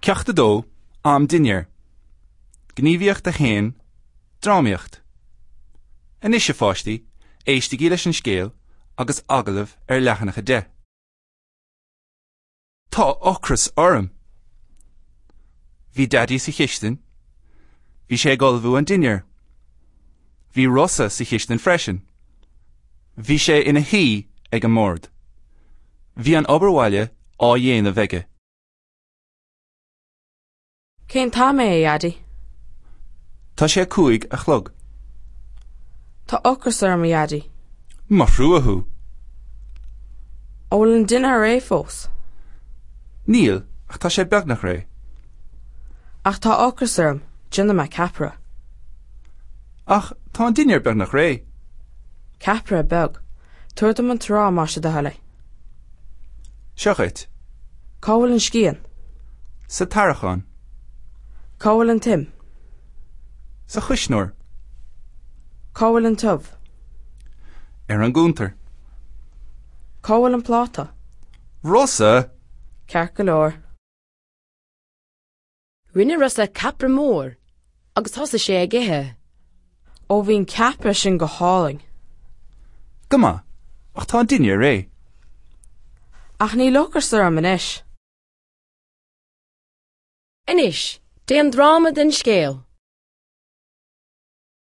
Ceacht 2, Am Dinnéir. Gníomhaíocht 1, Drámaíocht. Anois, a pháistí, éistigí leis an scéal agus agallamh ar leathanach 10. Tá ocras orm! Bhí Daidí sa chistin. Bhí sé ag ullmhú an dinnéir. Bhí Rosa sa chistin freisin. Bhí sé ina shuí ag an mbord. Bhí an obair bhaile á dhéanamh aige. Cén t-am é, a Dhaidí? Tá sé 5 a chlog. Tá ocras orm, a Dhaidí. Mo thrua thú. An bhfuil an dinnéar réidh fós? Níl, ach tá sé beagnach réidh. Ach tá ocras orm, déanfaidh mé ceapaire. Ach tá an dinnéar beagnach réidh. Ceapaire beag. Tabhair dom an t-arán más é do thoil é. Seo dhuit. Cá bhfuil an scian? Sa tarraiceán. Cá bhfuil an t-im? Sa chuisneoir. Cá bhfuil an t-ubh? Ar an gcuntar. Cá bhfuil an pláta? Rosa! Ceart go leor. Rinne Rosa ceapaire mór agus thosaigh sé ag ithe. Ó bhí an ceapaire sin go hálainn. Go maith, ach tá an dinnéar réidh. Ach níl ocras orm anois. Anois, déan dráma den scéal.